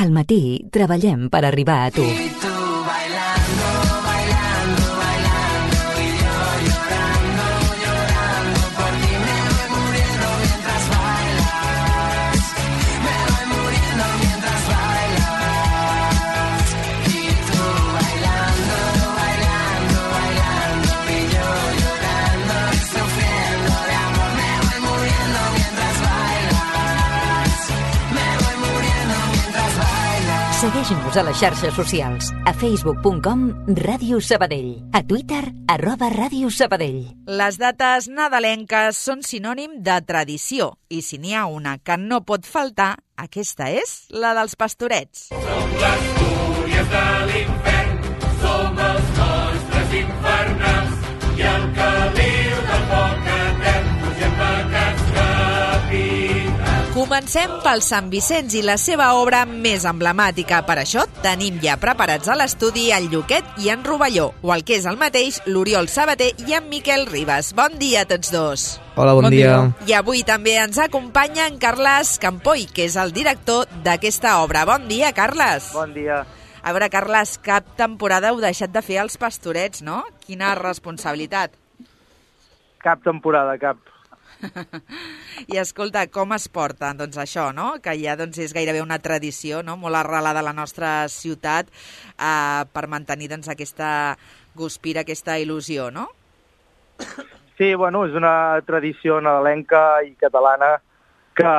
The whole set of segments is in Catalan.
Al matí treballem per arribar a tu. Segueix-nos a les xarxes socials, a facebook.com Ràdio Sabadell, a Twitter @Ràdio Sabadell. Les dates nadalenques són sinònim de tradició i si n'hi ha una que no pot faltar, aquesta és la dels pastorets. Som les fúries de l'infern, som els nostres infernals i el caliu del foc etern fugem pecats capitals. Comencem pel Sant Vicenç i la seva obra més emblemàtica. Per això tenim ja preparats a l'estudi el Lluquet i en Rovelló, o el que és el mateix, l'Oriol Sabater i en Miquel Ribas. Bon dia a tots dos. Hola, bon dia. I avui també ens acompanya en Carles Campoy, que és el director d'aquesta obra. Bon dia, Carles. Bon dia. A veure, Carles, cap temporada heu deixat de fer els pastorets, no? Quina responsabilitat. Cap temporada, cap. I escolta, com es porta doncs això, no? Que ja doncs, és gairebé una tradició, no? Molt arrelada a la nostra ciutat per mantenir doncs, aquesta guspira, aquesta il·lusió, no? Sí, bueno, és una tradició nadalenca i catalana que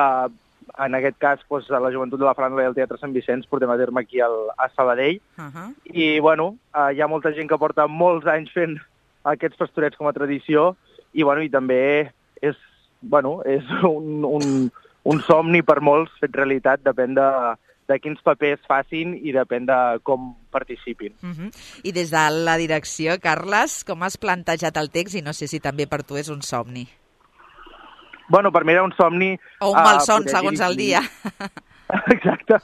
en aquest cas doncs, a la Joventut de la Franja i el Teatre Sant Vicenç portem a terme aquí a Sabadell. I bueno, hi ha molta gent que porta molts anys fent aquests pastorets com a tradició i, bueno, i també és un somni per molts fet realitat, depèn de quins papers facin i depèn de com participin. I des de la direcció, Carles, com has plantejat el text i no sé si també per tu és un somni? Bueno, per mi era un somni... O un malson, segons el dia. Exacte.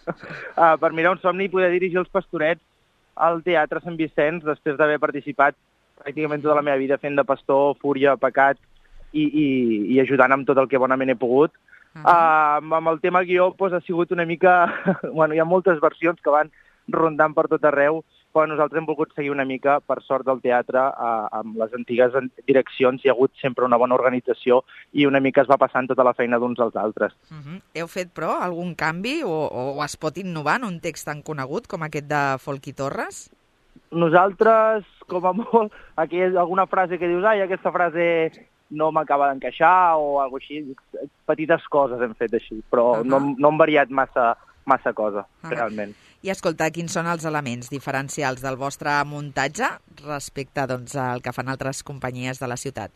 Per mi era un somni poder dirigir els pastorets al Teatre Sant Vicenç després d'haver participat pràcticament tota la meva vida fent de pastor, fúria, pecat, i ajudant amb tot el que bonament he pogut. Amb el tema guió doncs, ha sigut una mica... Bueno, hi ha moltes versions que van rondant per tot arreu, però nosaltres hem volgut seguir una mica, per sort del teatre, amb les antigues direccions. Hi ha hagut sempre una bona organització i una mica es va passant tota la feina d'uns als altres. Heu fet, però, algun canvi o es pot innovar en un text tan conegut com aquest de Folch i Torres? Nosaltres, com a molt, aquí hi ha alguna frase que dius aquesta frase no m'acaba d'encaixar o alguna cosa així. Petites coses hem fet així, però no hem variat massa cosa, realment. I escolta, quins són els elements diferencials del vostre muntatge respecte doncs, al que fan altres companyies de la ciutat?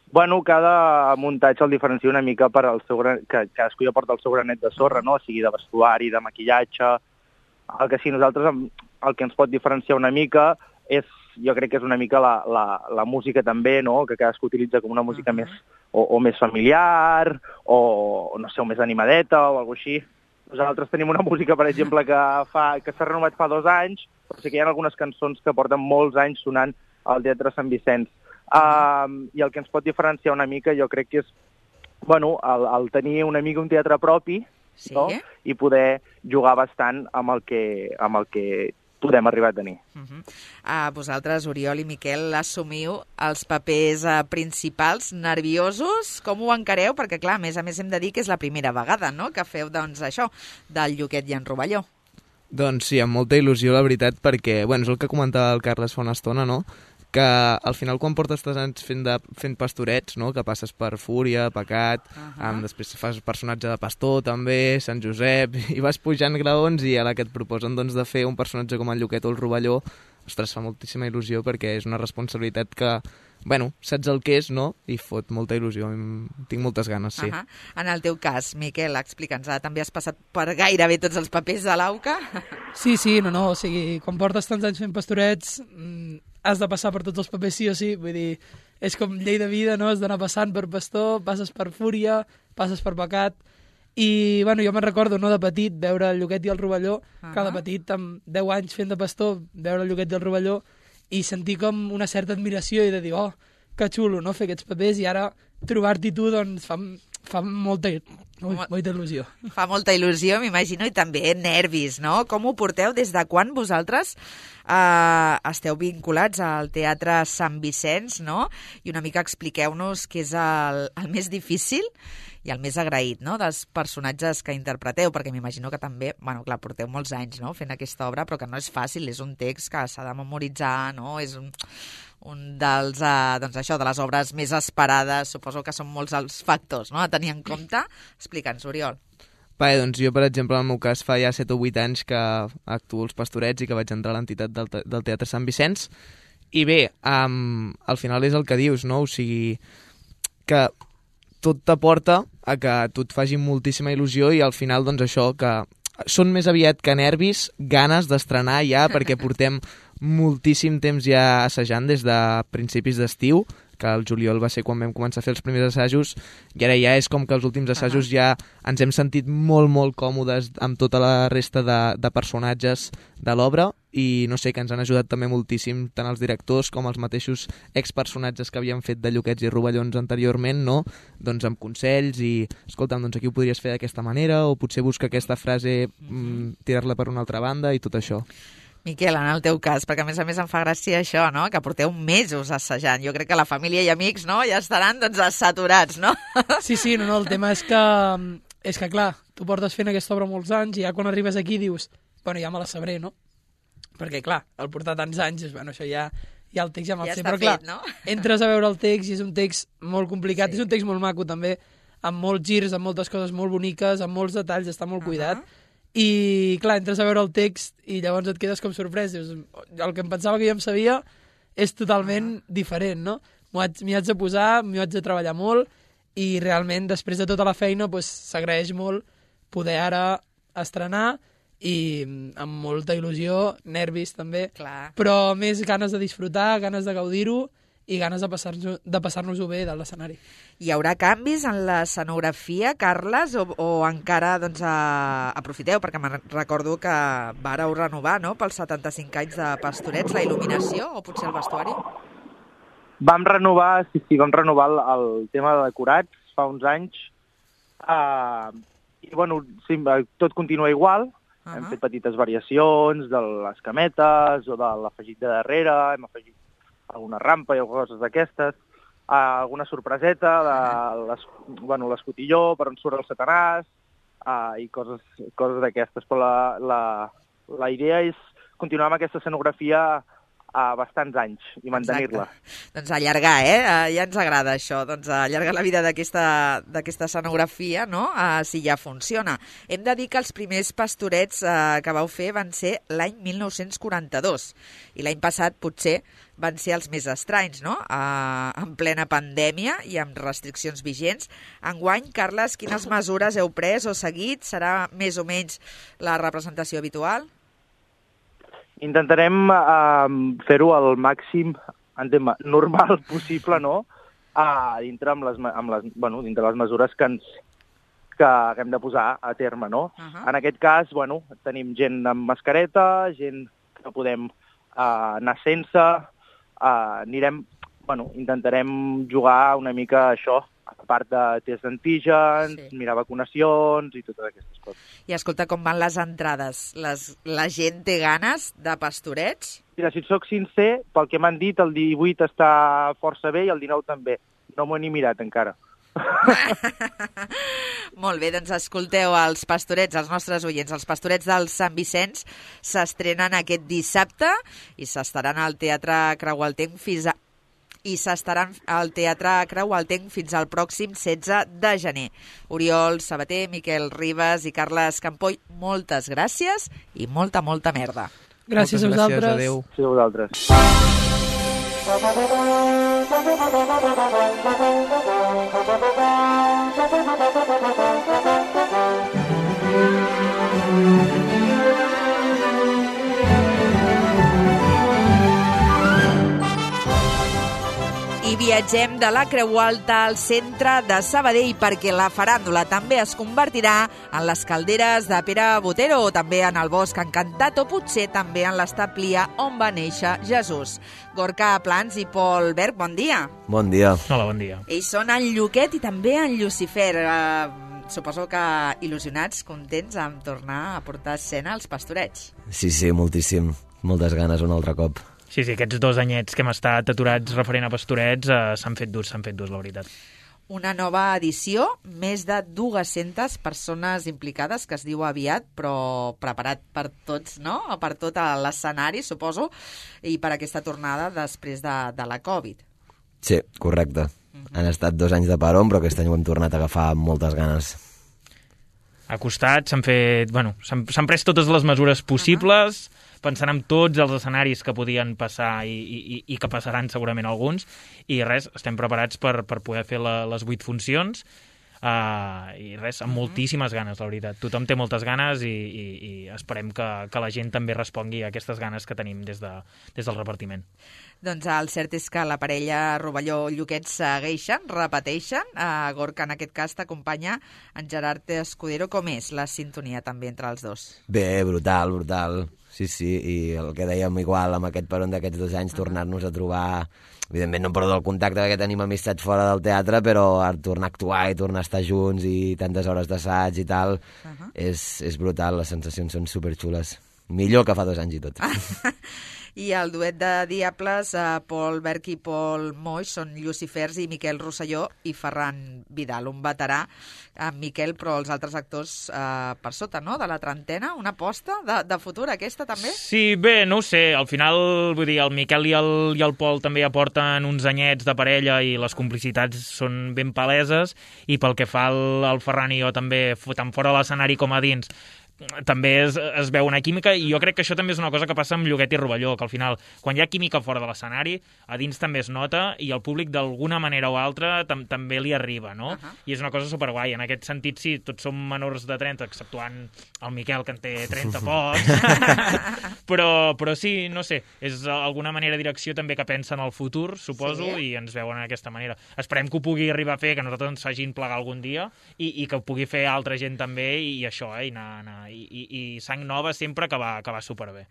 Bueno, cada muntatge el diferencia una mica per al seu que cadascú ja porta el seu granet de sorra, no? O sigui, de vestuari, de maquillatge. El que sí, nosaltres el que ens pot diferenciar una mica és, jo crec que és una mica la música també, no? Que cadascú utilitza com una música més o més familiar o no sé, o més animadeta o alguna cosa així. Nosaltres tenim una música, per exemple, que s'ha renovat fa 2 anys, però sí que hi ha algunes cançons que porten molts anys sonant al Teatre Sant Vicenç. I el que ens pot diferenciar una mica jo crec que és el tenir una mica un teatre propi, no? I poder jugar bastant amb el que podem arribar a tenir. Vosaltres, Oriol i Miquel, assumiu els papers principals, nerviosos? Com ho encareu? Perquè, clar, a més hem de dir que és la primera vegada, no?, que feu, doncs, això, del Lluquet i en Rovelló. Doncs sí, amb molta il·lusió, la veritat, perquè, és el que comentava el Carles fa una estona, no?, que al final quan portes 3 anys fent pastorets, no?, que passes per Fúria, Pecat, després fas personatge de pastor també, Sant Josep, i vas pujant graons i ara que et proposen doncs, de fer un personatge com el Lluquet o el Rovelló, ostres, fa moltíssima il·lusió perquè és una responsabilitat que, saps el que és, no?, i fot molta il·lusió, tinc moltes ganes, sí. En el teu cas, Miquel, explica'ns, també has passat per gairebé tots els papers de l'AUCA? Sí, o sigui, quan portes tants anys fent pastorets has de passar per tots els papers sí o sí, vull dir, és com llei de vida, no?, has d'anar passant per pastor, passes per Fúria, passes per Pecat, i, jo me'n recordo, no?, de petit, veure el Lluquet i el Rovelló, que de petit, amb 10 anys fent de pastor, veure el Lluquet i el Rovelló, i sentir com una certa admiració i de dir, que xulo, no?, fer aquests papers, i ara trobar-t'hi tu, doncs, Fa molta il·lusió. Fa molta il·lusió, m'imagino, i també nervis, no? Com ho porteu? Des de quan vosaltres esteu vinculats al Teatre Sant Vicenç, no? I una mica expliqueu-nos què és el més difícil i el més agraït, no?, dels personatges que interpreteu, perquè m'imagino que també, bueno, clar, porteu molts anys, no?, fent aquesta obra, però que no és fàcil, és un text que s'ha de memoritzar, no?, és un dels, doncs això, de les obres més esperades, suposo que són molts els factors, no?, a tenir en compte. Explica'ns, Oriol. Bé, doncs jo, per exemple, en el meu cas, fa ja 7 o 8 anys que actuo als Pastorets i que vaig entrar a l'entitat del Teatre Sant Vicenç. I bé, al final és el que dius, no? O sigui, que tot t'aporta a que tu et faci moltíssima il·lusió i al final, doncs això, que són més aviat que nervis, ganes d'estrenar ja, perquè portem moltíssim temps ja assajant des de principis d'estiu, que el juliol va ser quan vam començar a fer els primers assajos, i ara ja és com que els últims assajos ja ens hem sentit molt, molt còmodes amb tota la resta de personatges de l'obra, i no sé, que ens han ajudat també moltíssim tant els directors com els mateixos expersonatges que havien fet de Lluquets i Rovellons anteriorment, no? Doncs amb consells i, escolta'm, doncs aquí ho podries fer d'aquesta manera, o potser busca aquesta frase, tirar-la per una altra banda i tot això. Miquel, en el teu cas, perquè a més em fa gràcia això, no?, que porteu mesos assajant. Jo crec que la família i amics, no?, ja estaran, doncs, saturats, no? Sí, no, el tema és que, clar, tu portes fent aquesta obra molts anys i ja quan arribes aquí dius, bueno, ja me la sabré, no? Perquè, clar, al portar tants anys, bueno, això ja el text ja me'l sé, però clar, no? Entres a veure el text i és un text molt complicat, és un text molt maco també, amb molts girs, amb moltes coses molt boniques, amb molts detalls, està molt cuidat, i clar, entres a veure el text i llavors et quedes com sorprès, dius, el que em pensava que ja em sabia és totalment diferent, no? M'hi haig de posar, m'hi haig de treballar molt i realment després de tota la feina s'agraeix molt poder ara estrenar i amb molta il·lusió, nervis també, però més ganes de disfrutar, ganes de gaudir-ho i ganes de passar-nos-ho bé de l'escenari. Hi haurà canvis en l'escenografia, Carles, o encara doncs, aprofiteu? Perquè me'n recordo que vàreu renovar, no?, pels 75 anys de Pastorets, la il·luminació o potser el vestuari? Vam renovar el tema de decorats fa uns anys i, bueno, sí, tot continua igual. Hem fet petites variacions de les cametes o de l'afegit de darrere, hem afegit alguna rampa i coses d'aquestes, alguna sorpreseta de l'escotilló, per on surt el Satanàs, i coses d'aquestes. Però la idea és continuar amb aquesta escenografia bastants anys i mantenir-la. Doncs allargar, ja ens agrada això, doncs allargar la vida d'aquesta escenografia, no?, si ja funciona. Hem de dir que els primers Pastorets que vau fer van ser l'any 1942 i l'any passat potser van ser els més estranys, no?, en plena pandèmia i amb restriccions vigents. Enguany, Carles, quines mesures heu pres o seguit? Serà més o menys la representació habitual? Intentarem fer-ho al màxim normal possible, no?, dintre les mesures que hem de posar a terme, no? En aquest cas, tenim gent amb mascareta, gent que podem anar sense, intentarem jugar una mica això, a part de test d'antígens, mirar vacunacions i totes aquestes coses. I escolta, com van les entrades? La gent té ganes de Pastorets? Mira, si et soc sincer, pel que m'han dit, el 18 està força bé i el 19 també. No m'ho he ni mirat encara. Molt bé, doncs escolteu, els Pastorets, els nostres oients, els Pastorets del Sant Vicenç s'estrenen aquest dissabte i s'estaran al Teatre Creualtenc fins al pròxim 16 de gener. Oriol Sabater, Miquel Ribas i Carles Campoy, moltes gràcies i molta merda. Gràcies a vosaltres. Adéu. Gràcies a vosaltres. I Viatgem de la Creu Alta al centre de Sabadell perquè la faràndula també es convertirà en les calderes de Pere Botero o també en el Bosc Encantat o potser també en l'Estaplia on va néixer Jesús. Gorka Plans i Pol Berg, bon dia. Bon dia. Hola, bon dia. Ells són en Lluquet i també en Llucifer. Suposo que il·lusionats, contents amb tornar a portar escena als Pastorets. Sí, moltíssim. Moltes ganes un altre cop. Sí, aquests 2 anyets que hem estat aturats referent a Pastorets s'han fet durs, la veritat. Una nova edició, més de 200 persones implicades, que es diu aviat, però preparat per tots, no? Per tot l'escenari, suposo, i per aquesta tornada després de la Covid. Sí, correcte. Han estat 2 anys de peron, però aquest any ho hem tornat a agafar amb moltes ganes. Ha costat, s'han pres totes les mesures possibles, pensant en tots els escenaris que podien passar i que passaran segurament alguns, i res, estem preparats per poder fer les 8 funcions, i res, amb moltíssimes ganes, la veritat. Tothom té moltes ganes i esperem que la gent també respongui a aquestes ganes que tenim des del repartiment. Doncs el cert és que la parella Rovelló-Lluquet segueixen, repeteixen. Gorka, en aquest cas, t'acompanya en Gerard Escudero. Com és la sintonia també entre els dos? Bé, brutal. Sí, i el que dèiem igual amb aquest peron d'aquests 2 anys, tornar-nos a trobar. Evidentment no em perdo el contacte perquè tenim amistats fora del teatre, però tornar a actuar i tornar a estar junts i tantes hores d'assaig i tal, és brutal, les sensacions són superxules. Millor que fa 2 anys i tot. I el duet de Diables, Pol Berg i Pol Moix, són Llucifers i Miquel Rosselló i Ferran Vidal, un veterà, amb Miquel, però els altres actors per sota, no?, de la trentena. Una aposta de futur, aquesta, també? Sí, bé, no ho sé. Al final, vull dir, el Miquel i el Pol també aporten uns anyets de parella i les complicitats són ben paleses, i pel que fa al Ferran i jo també, tant fora de l'escenari com a dins, també es veu una química, i jo crec que això també és una cosa que passa amb Lluquet i Rovelló, que al final, quan hi ha química fora de l'escenari, a dins també es nota, i el públic d'alguna manera o altra també li arriba, no? I és una cosa superguai. En aquest sentit, sí, tots som menors de 30, exceptuant el Miquel, que en té 30 pocs, però sí, no sé, és alguna manera direcció també que pensa en el futur, suposo, i ens veuen d'aquesta manera. Esperem que ho pugui arribar a fer, que nosaltres ens facin plegar algun dia, i que ho pugui fer altra gent també, i això, i anar i sang nova sempre que va superbé.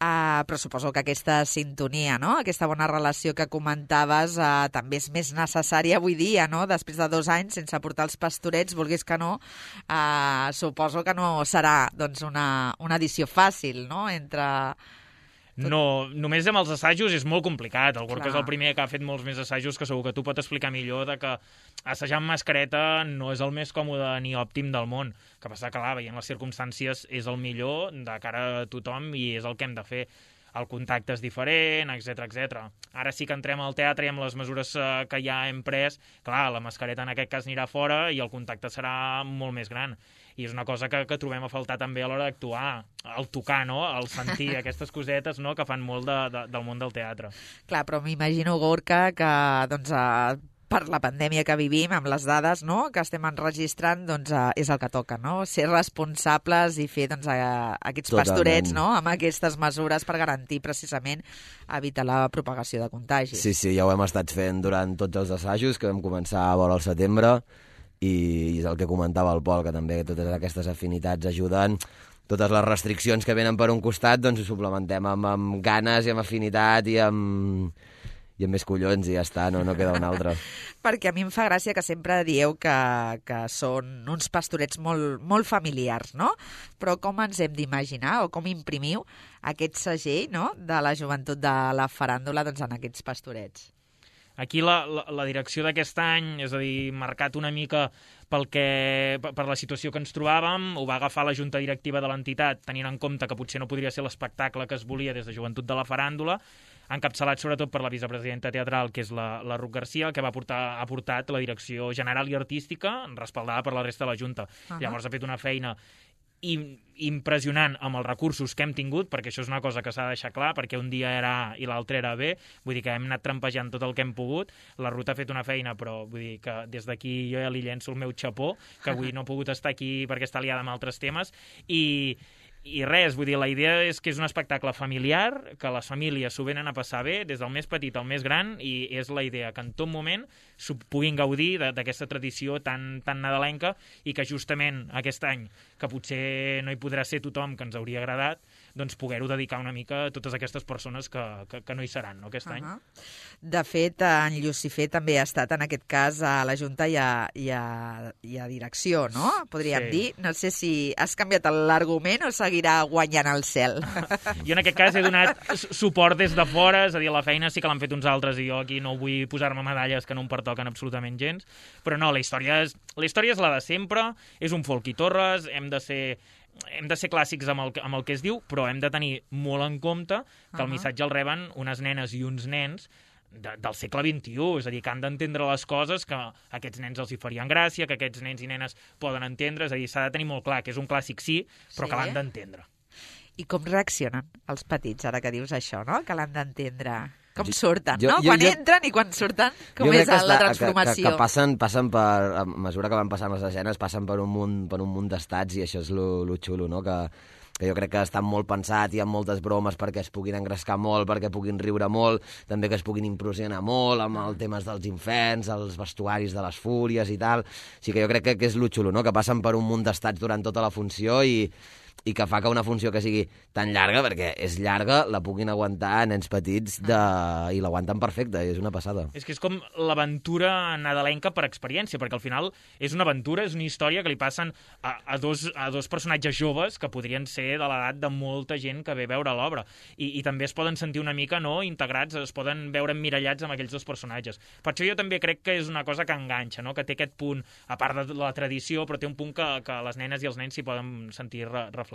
Però suposo que aquesta sintonia, no?, aquesta bona relació que comentaves, també és més necessària avui dia, no?, després de 2 anys sense portar els Pastorets, vulguis que no, suposo que no serà doncs, una edició fàcil, no?, entre... No, només amb els assajos és molt complicat. El Gorka és el primer que ha fet molts més assajos, que segur que tu pot explicar millor, de que assajar amb mascareta no és el més còmode ni òptim del món. Que passa que, clar, veient les circumstàncies, és el millor de cara a tothom i és el que hem de fer. El contacte és diferent, etc. Ara sí que entrem al teatre i amb les mesures que ja hem pres, clar, la mascareta en aquest cas anirà fora i el contacte serà molt més gran. I és una cosa que trobem a faltar també a l'hora d'actuar, el tocar, no?, el sentir, aquestes cosetes, no?, que fan molt del món del teatre. Clar, però m'imagino, Gorka, que doncs, per la pandèmia que vivim, amb les dades, no?, que estem enregistrant, doncs és el que toca, no?, ser responsables i fer doncs, aquests pastorets, no?, amb aquestes mesures per garantir precisament evitar la propagació de contagis. Sí, ja ho hem estat fent durant tots els assajos, que vam començar a vora al setembre, i és el que comentava el Pol, que també totes aquestes afinitats ajuden. Totes les restriccions que venen per un costat, doncs ho suplementem amb ganes i amb afinitat i amb més collons i ja està, no queda un altre. Perquè a mi em fa gràcia que sempre dieu que són uns pastorets molt, molt familiars, no? Però com ens hem d'imaginar o com imprimiu aquest segell, no?, de la joventut de la faràndula doncs, en aquests pastorets? Aquí la direcció d'aquest any, és a dir, marcat una mica per la situació que ens trobàvem, ho va agafar la junta directiva de l'entitat, tenint en compte que potser no podria ser l'espectacle que es volia des de Joventut de la Faràndula, encapçalat sobretot per la vicepresidenta teatral, que és la Ruth Garcia, que ha portat la direcció general i artística, respaldada per la resta de la junta. Llavors ha fet una feina impressionant amb els recursos que hem tingut, perquè això és una cosa que s'ha de deixar clar, perquè un dia era A i l'altre era B, vull dir que hem anat trampejant tot el que hem pogut. La Ruth ha fet una feina, però vull dir que des d'aquí jo ja li llenço el meu xapó, que avui no he pogut estar aquí perquè està liada amb altres temes, i I res, vull dir, la idea és que és un espectacle familiar, que les famílies s'ho venen a passar bé, des del més petit al més gran, i és la idea que en tot moment s'ho puguin gaudir d'aquesta tradició tan nadalenca, i que justament aquest any, que potser no hi podrà ser tothom que ens hauria agradat, doncs poder-ho dedicar una mica a totes aquestes persones que no hi seran, no, aquest any. De fet, en Llucifer també ha estat, en aquest cas, a la Junta i a direcció, no? Podríem dir. No sé si has canviat l'argument o seguirà guanyant el cel. Jo en aquest cas he donat suport des de fora, és a dir, la feina sí que l'han fet uns altres i jo aquí no vull posar-me medalles que no em pertoquen absolutament gens, però no, la història és la de sempre, és un folk i torres, hem de ser clàssics amb el que es diu, però hem de tenir molt en compte que el missatge el reben unes nenes i uns nens del segle XXI, és a dir, que han d'entendre les coses que a aquests nens els hi farien gràcia, que aquests nens i nenes poden entendre, és a dir, s'ha de tenir molt clar que és un clàssic sí, però que l'han d'entendre. I com reaccionen els petits, ara que dius això, no? Que l'han d'entendre? Com surten, no? Quan entren i quan surten, com és la transformació? Que passen per, a mesura que van passant les escenes, passen per un munt d'estats, i això és lo xulo, no? Que jo crec que està molt pensat, hi ha moltes bromes perquè es puguin engrescar molt, perquè puguin riure molt, també que es puguin impressionar molt amb els temes dels inferns, els vestuaris de les fúries i tal. O sigui que jo crec que és lo xulo, no? Que passen per un munt d'estats durant tota la funció i que fa que una funció que sigui tan llarga, perquè és llarga, la puguin aguantar nens petits i l'aguanten perfecte, és una passada. És que és com l'aventura nadalenca per experiència, perquè al final és una aventura, és una història que li passen a dos personatges joves que podrien ser de l'edat de molta gent que ve a veure l'obra. I també es poden sentir una mica integrats, es poden veure emmirallats amb aquells dos personatges. Per això jo també crec que és una cosa que enganxa, no? Que té aquest punt, a part de la tradició, però té un punt que les nenes i els nens s'hi poden sentir reflectides.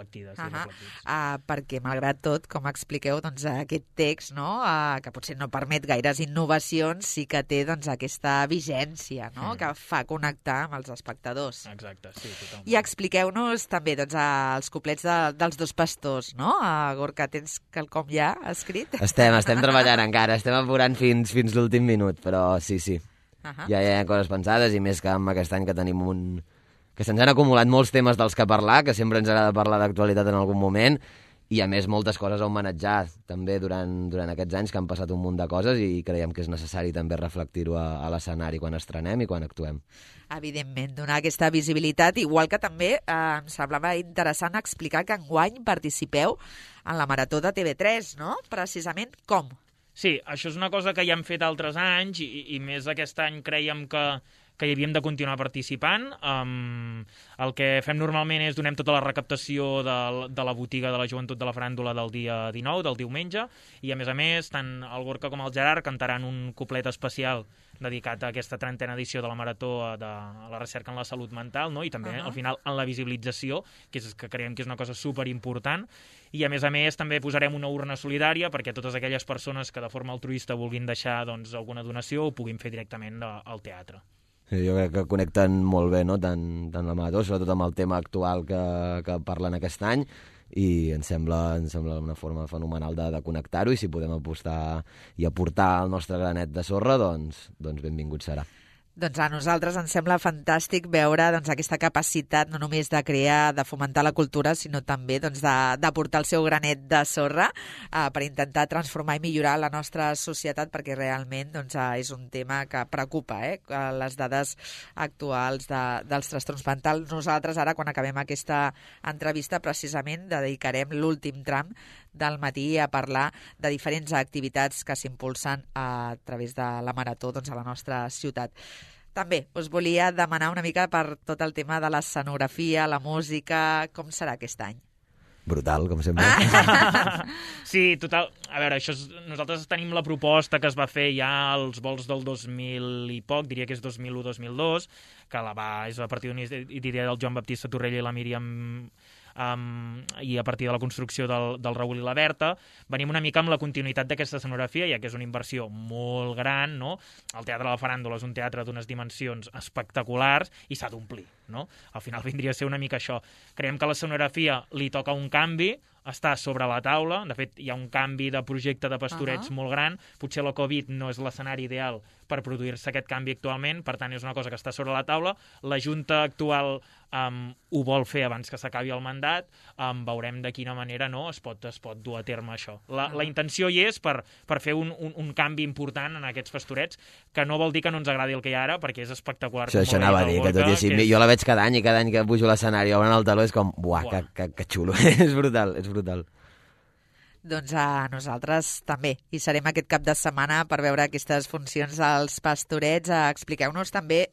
Perquè, malgrat tot, com expliqueu, doncs, aquest text, no? Que potser no permet gaires innovacions, sí que té doncs, aquesta vigència, no? Que fa connectar amb els espectadors. Exacte, sí, totalment. I expliqueu-nos també doncs, els couplets dels dos pastors, no? Gorka, tens quelcom ja escrit? Estem treballant encara, estem apurant fins l'últim minut, però sí. Ja hi ha coses pensades, i més que amb aquest any que tenim que se'ns han acumulat molts temes dels que parlar, que sempre ens agrada parlar d'actualitat en algun moment, i a més moltes coses a homenatjar també durant aquests anys, que han passat un munt de coses, i creiem que és necessari també reflectir-ho a l'escenari quan estrenem i quan actuem. Evidentment, donar aquesta visibilitat, igual que també em semblava interessant explicar que enguany participeu en la Marató de TV3, no? Precisament com? Sí, això és una cosa que ja hem fet altres anys, i més aquest any creiem que hi havíem de continuar participant. El que fem normalment és donem tota la recaptació de la botiga de la joventut de la faràndula del dia 19, del diumenge, i a més, tant el Gorka com el Gerard cantaran un couplet especial dedicat a aquesta 30a edició de la Marató de la recerca en la salut mental, no? I també, al final, en la visibilització, que creiem que és una cosa superimportant. I, a més, també posarem una urna solidària perquè totes aquelles persones que de forma altruista vulguin deixar alguna donació ho puguin fer directament al teatre. Sí, jo crec que connecten molt bé, no? tant la Marató, sobretot amb el tema actual que parlen aquest any, i ens sembla una forma fenomenal de connectar-ho, i si podem apostar i aportar el nostre granet de sorra, doncs benvingut serà. Doncs a nosaltres ens sembla fantàstic veure aquesta capacitat no només de crear, de fomentar la cultura, sinó també d'aportar el seu granet de sorra per intentar transformar i millorar la nostra societat, perquè realment és un tema que preocupa, les dades actuals dels trastorns mentals. Nosaltres ara, quan acabem aquesta entrevista, precisament dedicarem l'últim tram del matí a parlar de diferents activitats que s'impulsen a través de la Marató a la nostra ciutat. També us volia demanar una mica per tot el tema de l'escenografia, la música, com serà aquest any? Brutal, com sempre. Sí, total. A veure, nosaltres tenim la proposta que es va fer ja als vols del 2000 i poc, diria que és 2001-2002, que és a partir d'una idea del Joan Baptista Torrella i la Míriam, i a partir de la construcció del Raül i la Berta, venim una mica amb la continuïtat d'aquesta escenografia, ja que és una inversió molt gran, no? El Teatre de la Faràndula és un teatre d'unes dimensions espectaculars i s'ha d'omplir, no? Al final vindria a ser una mica això. Creiem que l'escenografia li toca un canvi, està sobre la taula. De fet, hi ha un canvi de projecte de pastorets molt gran. Potser la Covid no és l'escenari ideal per produir-se aquest canvi actualment, per tant és una cosa que està sobre la taula. La Junta actual ho vol fer abans que s'acabi el mandat, veurem de quina manera es pot dur a terme això. La intenció hi és per fer un canvi important en aquests pastorets, que no vol dir que no ens agradi el que hi ha ara, perquè és espectacular. Això anava a dir, que tot i així, jo la veig cada any, i cada any que pujo a l'escenari obren el taló és com, que xulo, és brutal, és brutal. Doncs nosaltres també hi serem aquest cap de setmana per veure aquestes funcions dels pastorets. Expliqueu-nos també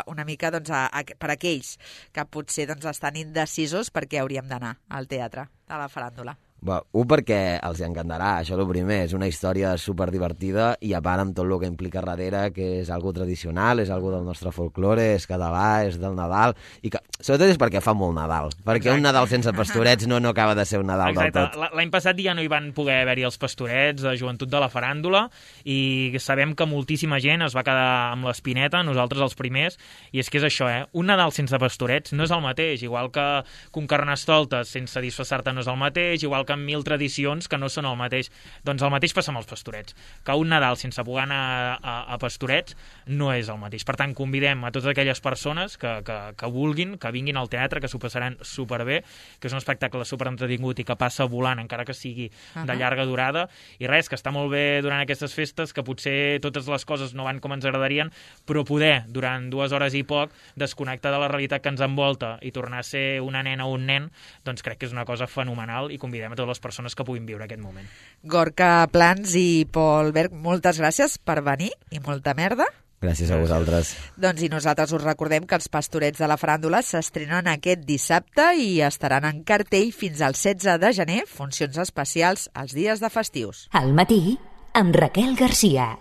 una mica per aquells que potser estan indecisos per què hauríem d'anar al teatre, a la faràndula. Perquè els encantarà, això el primer, és una història superdivertida i a part amb tot el que implica darrere, que és algo tradicional, és algo del nostre folklore, és català, és del Nadal, i que sobretot és perquè fa molt Nadal, perquè un Nadal sense pastorets no acaba de ser un Nadal del tot. L'any passat ja no hi van poder haver-hi els pastorets de joventut de la faràndula i sabem que moltíssima gent es va quedar amb l'espineta, nosaltres els primers, i és que és això, un Nadal sense pastorets no és el mateix, igual que un Carnestoltes sense disfressar-te no és el mateix, igual que amb 1000 tradicions que no són el mateix. Doncs el mateix passa amb els pastorets, que un Nadal sense poder anar a pastorets no és el mateix. Per tant, convidem a totes aquelles persones que vulguin, que vinguin al teatre, que s'ho passaran superbé, que és un espectacle superentretingut i que passa volant, encara que sigui de llarga durada, i res, que està molt bé durant aquestes festes, que potser totes les coses no van com ens agradarien, però poder, durant 2 hores i poc, desconnectar de la realitat que ens envolta i tornar a ser una nena o un nen, doncs crec que és una cosa fenomenal i convidem a totes les persones que puguin viure aquest moment. Gorka Plans i Pol Berg, moltes gràcies per venir i molta merda. Gràcies a vosaltres. Doncs i nosaltres us recordem que els pastorets de la faràndula s'estrenen aquest dissabte i estaran en cartell fins al 16 de gener, funcions especials els dies de festius. Al matí, amb Raquel Garcia.